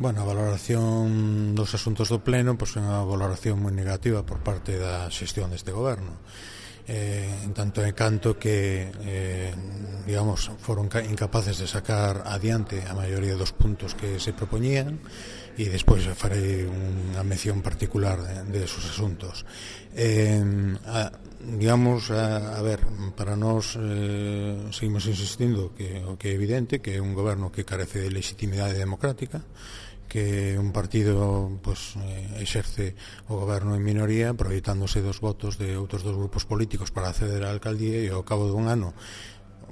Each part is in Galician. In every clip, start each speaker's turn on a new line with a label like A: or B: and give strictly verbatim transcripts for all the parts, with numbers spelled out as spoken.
A: Bueno, a valoración dos asuntos do Pleno pois é unha valoración moi negativa por parte da xestión deste goberno. Eh, en tanto e canto que eh, digamos, foron incapaces de sacar adiante a maioría dos puntos que se propoñían, e despois farei unha mención particular de, de esos asuntos. Eh, a, digamos, a, a ver, para nós eh, seguimos insistindo que o que é evidente que é un goberno que carece de legitimidade democrática, que un partido pues, eh, exerce o goberno en minoría aproveitándose dos votos de outros dos grupos políticos para acceder á alcaldía, e ao cabo dun ano,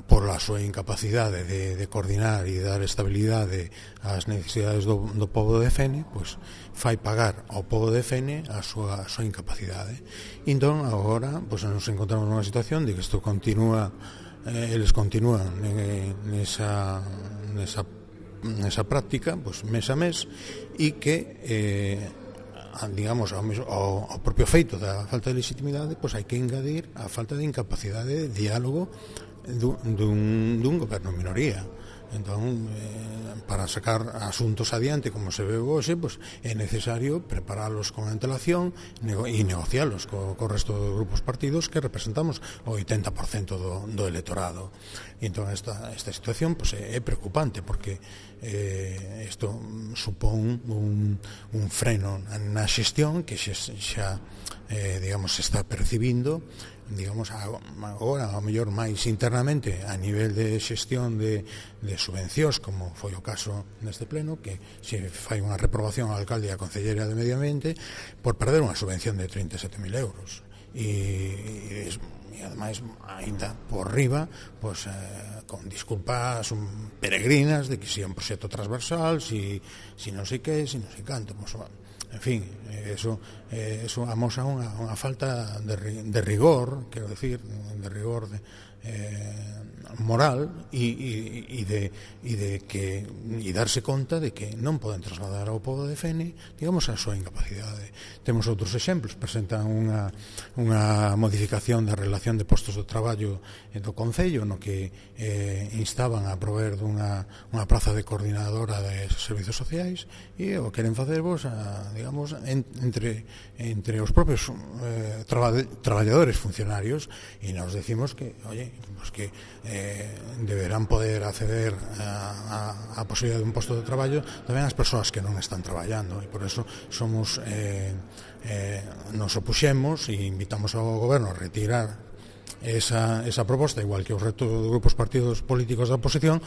A: por a súa incapacidade de, de coordinar e dar estabilidade ás necesidades do, do povo de Fene, pues, fai pagar ao povo de Fene a súa, a súa incapacidade. E entón agora pues, nos encontramos nunha situación de que isto continúa, eh, eles continúan eh, nesa, nesa nesa práctica, pues, mes a mes, e que eh, digamos, ao, ao, ao propio feito da falta de legitimidade, pues, hai que engadir a falta de incapacidade de diálogo dun, dun, dun goberno en minoría. Entón, eh, para sacar asuntos adiante como se ve hoxe, pues, é necesario preparalos con antelación nego e negocialos co, co resto dos grupos partidos que representamos o oitenta por cento do, do electorado. E entón esta, esta situación pues, é, é preocupante porque eh, isto supón un, un freno na xestión que xa, xa eh, digamos, se está percibindo, digamos, agora ao mellor máis internamente a nivel de xestión de, de subvencións, como foi o caso neste pleno, que se fai unha reprobación ao alcalde e á concelleira de Medio Ambiente por perder unha subvención de trinta e sete mil euros, e, e, e ademais ainda por riba pues, eh, con disculpas um, peregrinas de que si é un proxecto transversal, si, si non sei que, si non sei canto, pues, en fin, eso, eso amosa unha, unha falta de, de rigor, quero decir, de rigor de, eh, moral e, e, e, de, e de que e darse conta de que non poden trasladar ao povo de Fene, digamos, a súa incapacidade. Temos outros exemplos, presentan unha, unha modificación da relación de postos de traballo do Concello, no que eh, instaban a prover dunha unha praza de coordinadora de servizos sociais, e o queren facer vos a, digamos, en, entre, entre os propios eh, traba, traballadores funcionarios, e nos decimos que, oye, pues que eh, deberán poder acceder a, a, a posibilidade de un posto de traballo tamén as persoas que non están traballando, e por eso somos eh, eh, nos opuxemos e invitamos ao goberno a retirar esa, esa proposta, igual que os resto dos grupos partidos políticos da oposición,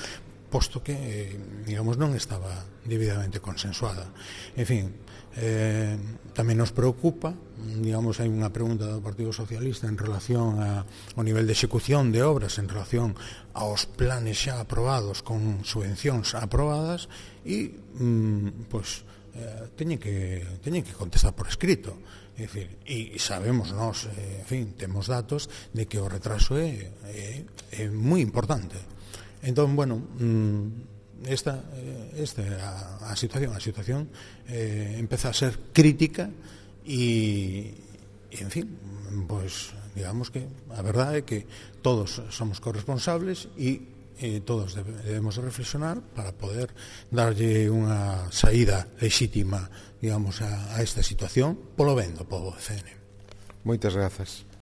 A: posto que, digamos, non estaba debidamente consensuada. En fin, eh, tamén nos preocupa, digamos, hai unha pregunta do Partido Socialista en relación a, ao nivel de execución de obras en relación aos planes xa aprobados con subvencións aprobadas, e, mm, pois, eh, teñen que, teñen que contestar por escrito. É dicir, e sabemos nós, eh, en fin, temos datos de que o retraso é, é, é moi importante. Entón, bueno, esta, esta a, a situación, a situación eh, empeza a ser crítica e, e, en fin, pues, digamos que a verdade é que todos somos corresponsables e eh, todos debemos reflexionar para poder darlle unha saída lexítima, digamos, a, a esta situación polo ben do pobo de Fene.
B: Moitas grazas.